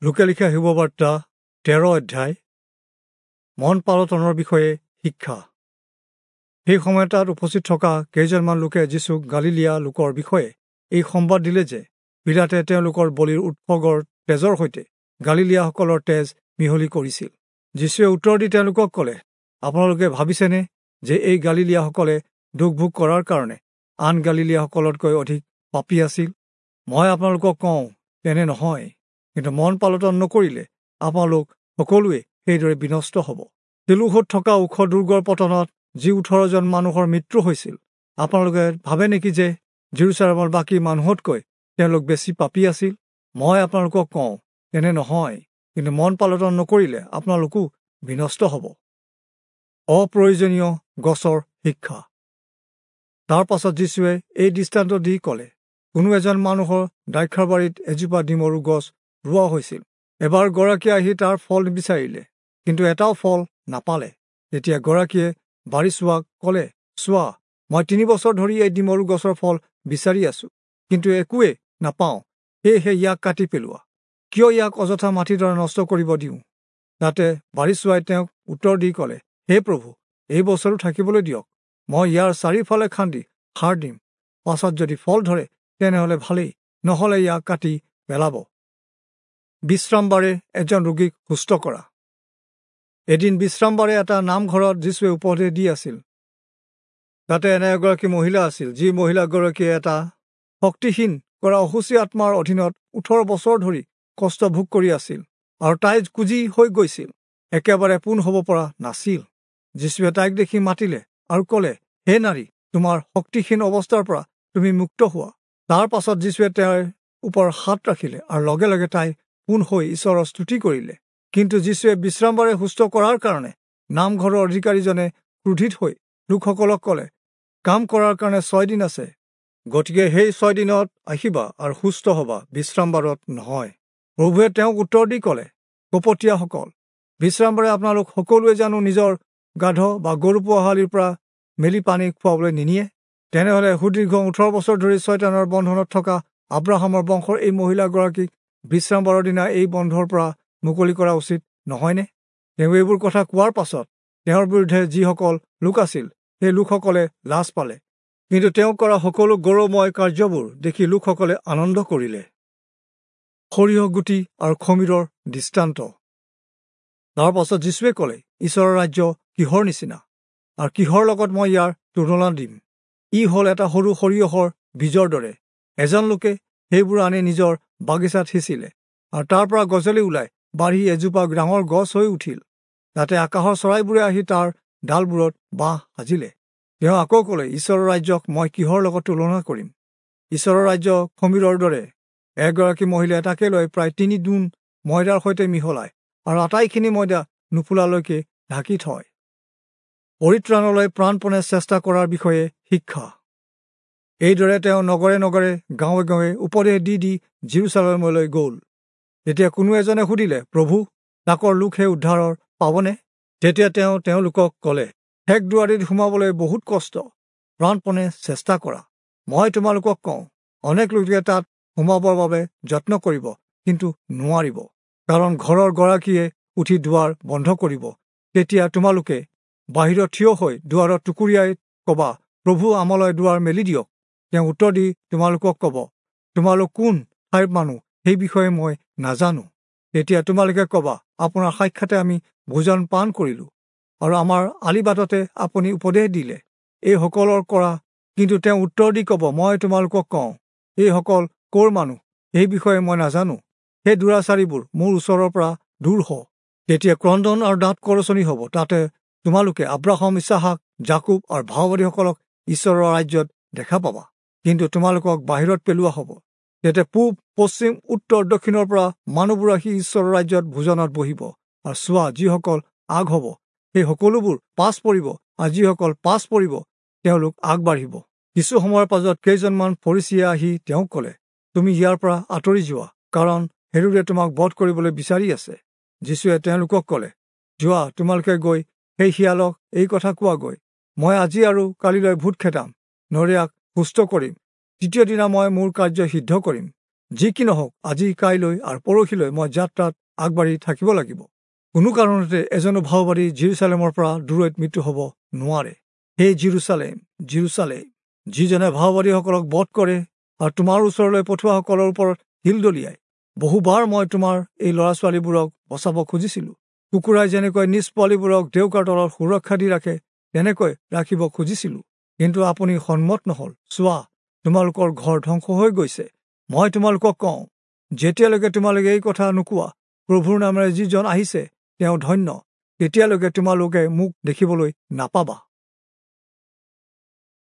লূকে লিখা শুভবাৰ্তা 13 অধ্যায় মন পালটনৰ বিষয়ে শিক্ষা। সেই সময়ত তাত উপস্থিত থকা কেইজনমান লোকে যীচুক গালিলীয়া লোকৰ বিষয়ে এই সম্বাদ দিলে যে পীলাতে তেওঁলোকৰ বলিৰ উৎসৰ্গৰ তেজৰ সৈতে গালিলীয়াসকলৰ তেজ মিহলি কৰিছিল। যীচুৱে উত্তৰ দি তেওঁলোকক ক'লে, আপোনালোকে ভাবিছেনে যে এই গালিলীয়াসকলে দুখ ভোগ কৰাৰ কাৰণে আন গালিলীয়াসকলতকৈ অধিক পাপী আছিল? মই আপোনালোকক কওঁ, তেনে নহয়, কিন্তু মন পালটন নকৰিলে আপোনালোক সকলোৱে সেইদৰে বিনষ্ট হ'ব। চিলোহত থকা ওখ দুৰ্গৰ পতনত যি 18জন মানুহৰ মৃত্যু হৈছিল, আপোনালোকে ভাবে নেকি যে জেৰুচালেমৰ বাকী মানুহতকৈ তেওঁলোক বেছি পাপী আছিল? মই আপোনালোকক কওঁ, তেনে নহয়, কিন্তু মন পালটন নকৰিলে আপোনালোকো বিনষ্ট হ'ব। অপ্ৰয়োজনীয় গছৰ শিক্ষা। তাৰ পাছত যীচুৱে এই দৃষ্টান্ত দি ক'লে, কোনো এজন মানুহৰ দ্ৰাক্ষাবাৰীত এজোপা ডিমৰু গছ ৰোৱা হৈছিল। এবাৰ গৰাকীয়ে আহি তাৰ ফল বিচাৰিলে, কিন্তু এটাও ফল নাপালে। তেতিয়া গৰাকীয়ে বাৰী চোৱাক ক'লে, চোৱা, মই 3 বছৰ ধৰি এই ডিমৰু গছৰ ফল বিচাৰি আছো, কিন্তু একোৱে নাপাওঁ। সেয়েহে ইয়াক কাটি পেলোৱা। কিয় ইয়াক অযথা মাটিডৰা নষ্ট কৰিব দিওঁ? তাতে বাৰী চোৱাই তেওঁক উত্তৰ দি ক'লে, হে প্ৰভু, এই বছৰো থাকিবলৈ দিয়ক। মই ইয়াৰ চাৰিওফালে খান্দি সাৰ দিম। পাছত যদি ফল ধৰে তেনেহ'লে ভালেই, নহ'লে ইয়াক কাটি পেলাব। বিশ্ৰামবাৰে এজন ৰোগীক সুস্থ কৰা। এদিন বিশ্ৰামবাৰে এটা নামঘৰত যীচুৱে উপদেশ দি আছিল। তাতে এনে এগৰাকী মহিলা আছিল, যি মহিলাগৰাকীয়ে এটা শক্তিহীন কৰা অশুচি আত্মাৰ অধীনত 18 বছৰ ধৰি কষ্ট ভোগ কৰি আছিল আৰু তাই কুঁজি হৈ গৈছিল, একেবাৰে পোন হ'ব পৰা নাছিল। যীচুৱে তাইক দেখি মাতিলে আৰু ক'লে, হে নাৰী, তোমাৰ শক্তিহীন অৱস্থাৰ পৰা তুমি মুক্ত হোৱা। তাৰ পাছত যীচুৱে তেওঁৰ ওপৰত হাত ৰাখিলে আৰু লগে লগে তাই পোন হৈ ঈশ্বৰৰ স্তুতি কৰিলে। কিন্তু যীচুৱে বিশ্ৰামবাৰে সুস্থ কৰাৰ কাৰণে নামঘৰৰ অধিকাৰীজনে ক্ৰোধিত হৈ লোকসকলক ক'লে, কাম কৰাৰ কাৰণে 6 দিন আছে, গতিকে সেই 6 দিনত আহিবা আৰু সুস্থ হ'বা, বিশ্ৰামবাৰত নহয়। প্ৰভুৱে তেওঁক উত্তৰ দি ক'লে, কপটীয়াসকল, বিশ্ৰামবাৰে আপোনালোক সকলোৱে জানো নিজৰ গাধ বা গৰু পোৱালিৰ পৰা মেলি পানী খুৱাবলৈ নিনিয়ে? তেনেহ'লে সুদীৰ্ঘ 18 বছৰ ধৰি ছয়তানৰ বন্ধনত থকা আব্ৰাহামৰ বংশৰ এই মহিলাগৰাকীক বিশ্ৰামবাৰৰ দিনা এই বন্ধৰ পৰা মুকলি কৰা উচিত নহয়নে? তেওঁ এইবোৰ কথা কোৱাৰ পাছত তেওঁৰ বিৰুদ্ধে যিসকল লোক আছিল সেই লোকসকলে লাজ পালে, কিন্তু তেওঁ কৰা সকলো গৌৰৱময় কাৰ্যবোৰ দেখি লোকসকলে আনন্দ কৰিলে। সৰিয়হ গুটি আৰু খমিৰৰ দৃষ্টান্ত। তাৰ পাছত যীচুৱে ক'লে, ঈশ্বৰৰ ৰাজ্য কিহৰ নিচিনা আৰু কিহৰ লগত মই ইয়াৰ তুলনা দিম? ই হ'ল এটা সৰু সৰিয়হৰ বীজৰ দৰে। এজন লোকে সেইবোৰ আনি নিজৰ বাগিচাত সিঁচিলে আৰু তাৰ পৰা গজলি ওলাই বাঢ়ি এজোপা ডাঙৰ গছ হৈ উঠিল। তাতে আকাশৰ চৰাইবোৰে আহি তাৰ ডালবোৰত বাঁহ সাজিলে। তেওঁ আকৌ ক'লে, ঈশ্বৰৰ ৰাজ্যক মই কিহৰ লগত তুলনা কৰিম? ঈশ্বৰৰ ৰাজ্য খমিৰৰ দৰে। এগৰাকী মহিলাই তাকে লৈ প্ৰায় 3 গুণ ময়দাৰ সৈতে মিহলাই আৰু আটাইখিনি ময়দা নুফুলালৈকে ঢাকি থয়। পৰিত্ৰাণলৈ প্ৰাণপণে চেষ্টা কৰাৰ বিষয়ে শিক্ষা। এইদৰে তেওঁ নগৰে নগৰে গাঁৱে গাঁৱে উপদেশ দি দি জেৰুচালেমলৈ গ'ল। তেতিয়া কোনো এজনে সুধিলে, প্ৰভু, তাকৰ লোকহে উদ্ধাৰৰ পাবনে? তেতিয়া তেওঁ তেওঁলোকক ক'লে, ঠেক দুৱাৰীত সোমাবলৈ বহুত কষ্ট, প্ৰাণপণে চেষ্টা কৰা। মই তোমালোকক কওঁ, অনেক লোকে তাত সোমাবৰ বাবে যত্ন কৰিব, কিন্তু নোৱাৰিব। কাৰণ ঘৰৰ গৰাকীয়ে উঠি দুৱাৰ বন্ধ কৰিব। তেতিয়া তোমালোকে বাহিৰত থিয় হৈ দুৱাৰত টুকুৰিয়াই ক'বা, প্ৰভু, আমালৈ দুৱাৰ মেলি দিয়ক। তেওঁ উত্তৰ দি তোমালোকক ক'ব, তোমালোক কোন ঠাইৰ মানুহ সেই বিষয়ে মই নাজানো। তেতিয়া তোমালোকে ক'বা, আপোনাৰ সাক্ষাতে আমি ভোজন পান কৰিলোঁ আৰু আমাৰ আলিবাটতে আপুনি উপদেশ দিলে। এইসকলৰ কৰা। কিন্তু তেওঁ উত্তৰ দি ক'ব, মই তোমালোকক কওঁ, এইসকল ক'ৰ মানুহ সেই বিষয়ে মই নাজানো। সেই দুৰাচাৰীবোৰ মোৰ ওচৰৰ পৰা দূৰ হ। তেতিয়া ক্ৰন্দন আৰু দাঁত কৰচনি হ'ব। তাতে তোমালোকে আব্ৰাহাম, ইছহাক, যাকুব আৰু ভাওবাদীসকলক ঈশ্বৰৰ ৰাজ্যত দেখা পাবা, কিন্তু তোমালোকক বাহিৰত পেলোৱা হ'ব। তেতিয়া পূব, পশ্চিম, উত্তৰ, দক্ষিণৰ পৰা মানুহবোৰ আহি ঈশ্বৰৰ ৰাজ্যত ভোজনত বহিব। আৰু চোৱা, যিসকল আগ হ'ব সেই সকলোবোৰ পাছ পৰিব, আৰু যিসকল পাছ পৰিব তেওঁলোক আগবাঢ়িব। কিছু সময়ৰ পাছত কেইজনমান ফৰীচীয়ে আহি তেওঁক ক'লে, তুমি ইয়াৰ পৰা আঁতৰি যোৱা, কাৰণ হেৰোদে তোমাক বধ কৰিবলৈ বিচাৰি আছে। যীচুৱে তেওঁলোকক ক'লে, যোৱা, তোমালোকে গৈ সেই শিয়ালক এই কথা কোৱাগৈ, মই আজি আৰু কালিলৈ ভূত খেদাম, নৰিয়াক সুস্থ কৰিম, তৃতীয় দিনা মই মোৰ কাৰ্য সিদ্ধ কৰিম। যি কি নহওক, আজি, কাইলৈ আৰু পৰহিলৈ মই যাত্ৰাত আগবাঢ়ি থাকিব লাগিব। কোনো কাৰণতে এজনো ভাওবাদী জিৰচালেমৰ পৰা দূৰৈত মৃত্যু হ'ব নোৱাৰে। হে জিৰচালেম, জিৰচালেম, যিজনে ভাওবাদীসকলক বধ কৰে আৰু তোমাৰ ওচৰলৈ পঠোৱাসকলৰ ওপৰত শিল দলিয়ায়, বহুবাৰ মই তোমাৰ এই ল'ৰা ছোৱালীবোৰক বচাব খুজিছিলো। কুকুৰাই যেনেকৈ নিজ পোৱালীবোৰক ডেউকাৰ তলত সুৰক্ষা দি ৰাখে, তেনেকৈ ৰাখিব খুজিছিলো, কিন্তু আপুনি সন্মত নহল। চোৱা, তোমালোকৰ ঘৰ ধ্বংস হৈ গৈছে। মই তোমালোকক কওঁ, যেতিয়ালৈকে তোমালোকে এই কথা নোকোৱা, প্ৰভুৰ নামেৰে যিজন আহিছে তেওঁ ধন্য, তেতিয়ালৈকে তোমালোকে মোক দেখিবলৈ নাপাবা।